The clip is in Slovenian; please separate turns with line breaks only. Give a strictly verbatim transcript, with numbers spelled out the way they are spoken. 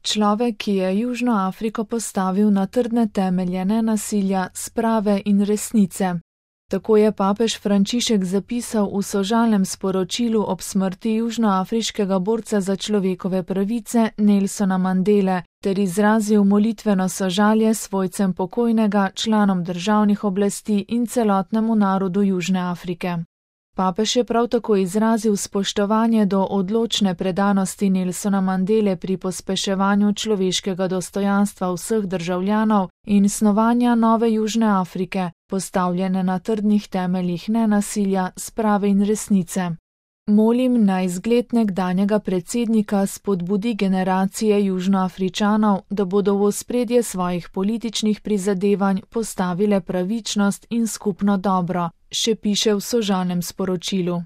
Človek, ki je Južno Afriko postavil na trdne temelje nenasilja, sprave in resnice. Tako je papež Frančišek zapisal v sožalnem sporočilu ob smrti južnoafriškega borca za človekove pravice Nelsona Mandele ter izrazil molitveno sožalje svojcem pokojnega, članom državnih oblasti in celotnemu narodu Južne Afrike. Papež je prav tako izrazil spoštovanje do odločne predanosti Nelsona Mandele pri pospeševanju človeškega dostojanstva vseh državljanov in snovanja nove Južne Afrike, postavljene na trdnih temeljih nenasilja, sprave in resnice. Molim naj zgled nekdanjega predsednika spodbudi generacije Južnoafričanov, da bodo v ospredje svojih političnih prizadevanj postavile pravičnost in skupno dobro, še piše v sožalnem sporočilu.